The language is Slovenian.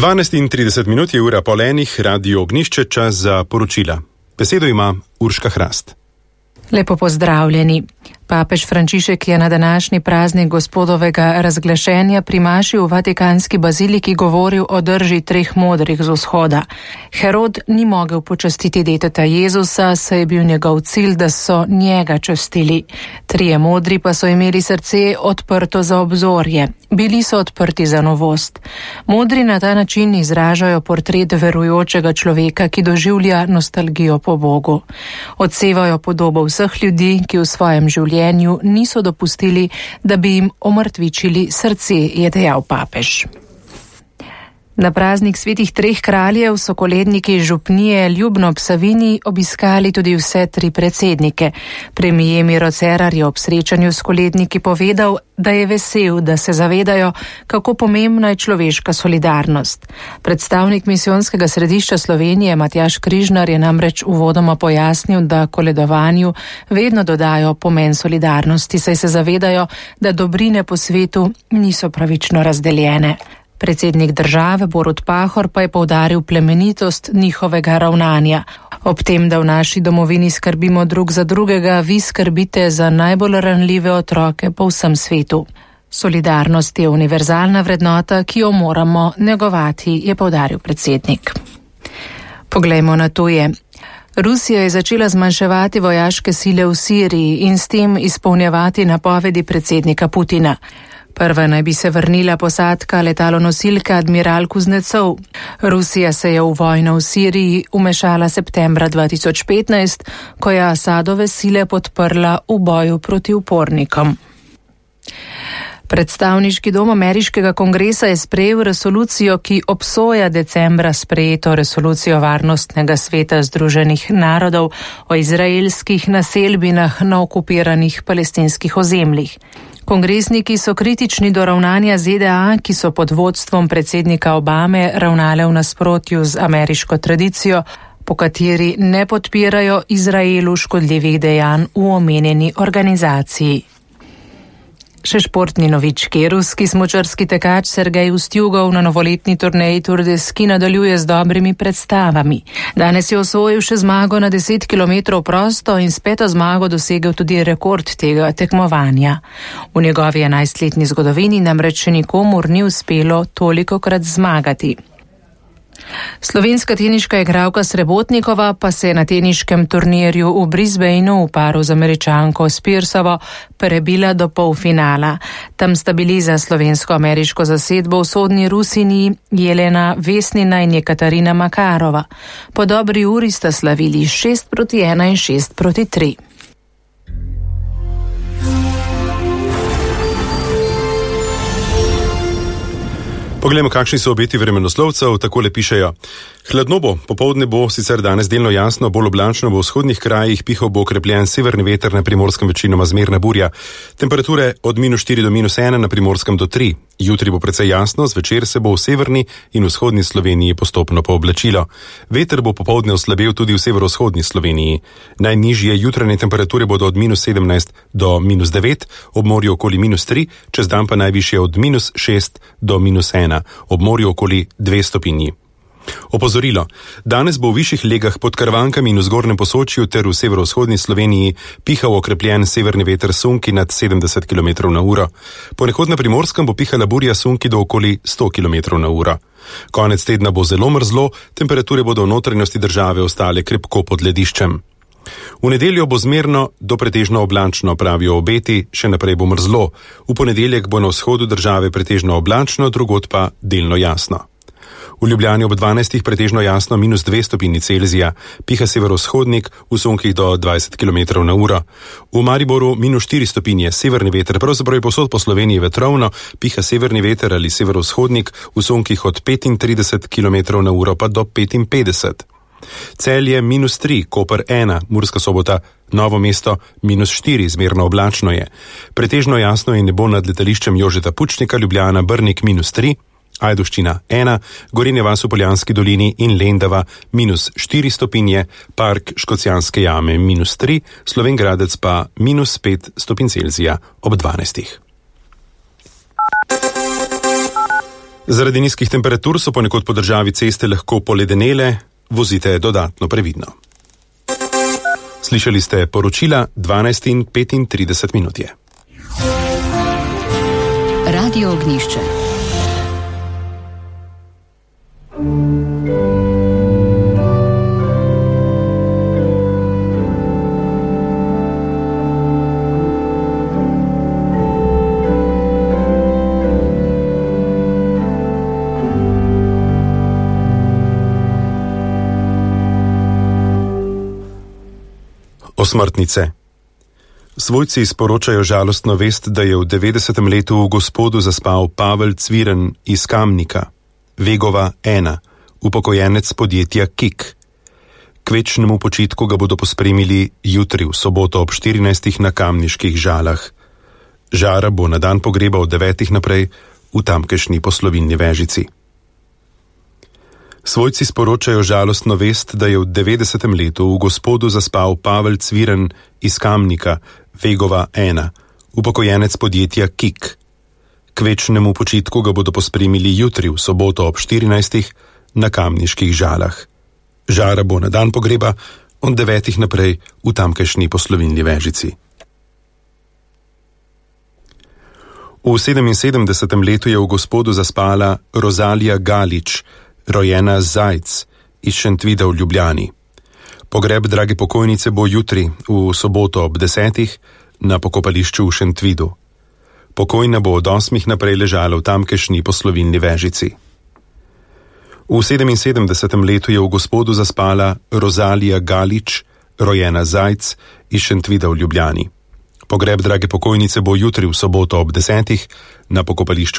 12:30 je ura pol enih, Radio Ognjišče, čas za poročila. Besedo ima Urška Hrast. Lepo pozdravljeni. Papež Frančišek je na današnji praznik Gospodovega razglašenja pri maši v Vatikanski baziliki govoril o drži treh modrih z vzhoda. Herod ni mogel počastiti deteta Jezusa, saj je bil njegov cilj, da so njega častili. Trije modri pa so imeli srce odprto za obzorje. Bili so odprti za novost. Modri na ta način izražajo portret verujočega človeka, ki doživlja nostalgijo po Bogu. Odsevajo podobo vseh ljudi, ki v svojem življenju niso dopustili, da bi jim omrtvičili srce, je dejal papež. Na praznik svetih treh kraljev so koledniki župnije Ljubno ob Savinji obiskali tudi vse tri predsednike. Premier Miro Cerar je ob srečanju s koledniki povedal, da je vesel, da se zavedajo, kako pomembna je človeška solidarnost. Predstavnik misijonskega središča Slovenije Matjaž Križnar je namreč uvodoma pojasnil, da koledovanju vedno dodajo pomen solidarnosti, saj se zavedajo, da dobrine po svetu niso pravično razdeljene. Predsednik države Borut Pahor pa je poudaril plemenitost njihovega ravnanja. Ob tem, da v naši domovini skrbimo drug za drugega, vi skrbite za najbolj ranljive otroke po vsem svetu. Solidarnost je univerzalna vrednota, ki jo moramo negovati, je poudaril predsednik. Poglejmo na tuje. Rusija je začela zmanjševati vojaške sile v Siriji in s tem izpolnjevati napovedi predsednika Putina. Prva naj bi se vrnila posadka letalonosilke Admiral Kuznecov. Rusija se je v vojno v Siriji umešala septembra 2015, ko je Asadove sile podprla v boju proti upornikom. Predstavniški dom ameriškega kongresa je sprejel resolucijo, ki obsoja decembra sprejeto resolucijo Varnostnega sveta Združenih narodov o izraelskih naselbinah na okupiranih palestinskih ozemljih. Kongresniki so kritični do ravnanja ZDA, ki so pod vodstvom predsednika Obame ravnale v nasprotju z ameriško tradicijo, po kateri ne podpirajo Izraelu škodljivih dejanj v omenjeni organizaciji. Še športni novički. Ruski smučarski tekač Sergej Ustjugov na novoletni turneji Tour de Ski nadaljuje z dobrimi predstavami. Danes je osvojil še zmago na 10 km prosto in s peto zmago dosegel tudi rekord tega tekmovanja. V njegovi 11-letni zgodovini namreč še nikomur ni uspelo tolikokrat zmagati. Slovenska teniška igralka Srebotnikova pa se je na teniškem turnirju v Brisbaneu v paru z Američanko Spearsovo prebila do polfinala. Tam sta bili za slovensko-ameriško zasedbo v vzhodni Rusiji Jelena Vesnina in Jekaterina Makarova. Po dobri uri sta slavili 6-1 in 6-3. Poglejmo, kakšni so obeti vremenoslovcev, takole pišejo. Hladno bo, popoldne bo sicer danes delno jasno, bolj oblačno bo v vzhodnih krajih, pihal bo okrepljen severni veter, na Primorskem večinoma zmerna burja. Temperature od -4 do -1, na Primorskem do 3. Jutri bo precej jasno, zvečer se bo v severni in vzhodni Sloveniji postopno pooblačilo. Veter bo popoldne oslabel tudi v severovzhodni Sloveniji. Najnižje jutranje temperature bodo od -17 do -9, ob morju okoli -3, čez dan pa najvišje od -6 do -1, ob morju okoli 2 stopinji. Opozorilo. Danes bo v višjih legah pod Karvankami in v zgornjem Posočju ter v severovzhodni Sloveniji pihal okrepljen severni veter sunki nad 70 km/h. Ponekod na Primorskem bo pihala burja sunki do okoli 100 km/h. Konec tedna bo zelo mrzlo, temperature bodo v notranjosti države ostale krepko pod lediščem. V nedeljo bo zmerno do pretežno oblačno, pravijo obeti, še naprej bo mrzlo. V ponedeljek bo na vzhodu države pretežno oblačno, drugod pa delno jasno. V Ljubljani ob 12 pretežno jasno -2 stopinji Celzija, piha severovzhodnik, v sunkih do 20 km/h. V Mariboru -4 stopinje, severni veter, pravzaprav je povsod po Sloveniji vetrovno, piha severni veter ali severovzhodnik, v sunkih od 35 km/h pa do 55. Celje -3, Koper 1, Murska Sobota, Novo mesto -4, zmerno oblačno je. Pretežno jasno je nebo nad letališčem Jožeta Pučnika, Ljubljana, Brnik -3, Ajdovščina 1, Gorenja vas v Poljanski dolini in Lendava -4 stopinje, Park Škocjanske jame -3, Slovenj Gradec pa -5 stopinj Celzija ob 12. Zaradi nizkih temperatur so ponekod po državi ceste lahko poledenele, vozite dodatno previdno. Slišali ste poročila 12:35 je. Radio Ognjišče. Osmrtnice. Svojci sporočajo žalostno vest, da je v 90. letu v Gospodu zaspal Pavel Cviren iz Kamnika, Vegova 1, upokojenec podjetja Kik. K večnemu počitku ga bodo pospremili jutri v soboto ob 14. na Kamniških Žalah. Žara bo na dan pogreba od 9. naprej v tamkajšnji poslovilni Vežici. Svojci sporočajo žalostno vest, da je v 90. letu v Gospodu zaspal Pavel Cviren iz Kamnika, Vegova 1, upokojenec podjetja Kik. K večnemu počitku ga bodo pospremili jutri v soboto ob 14. na Kamniških Žalah. Žara bo na dan pogreba od 9. naprej v tamkajšnji poslovilni Vežici. V 77. letu je v Gospodu zaspala Rozalija Galič, rojena Zajc iz Šentvida v Ljubljani. Pogreb drage pokojnice bo jutri v soboto ob 10. na pokopališču v Šentvidu. Pokojna bo od 8. naprej ležala v tamkajšnji poslovilni Vežici. V 77. letu je v Gospodu zaspala Rozalija Galič, rojena Zajc iz Šentvida v Ljubljani. Pogreb drage pokojnice bo jutri v soboto ob 10. na pokopališču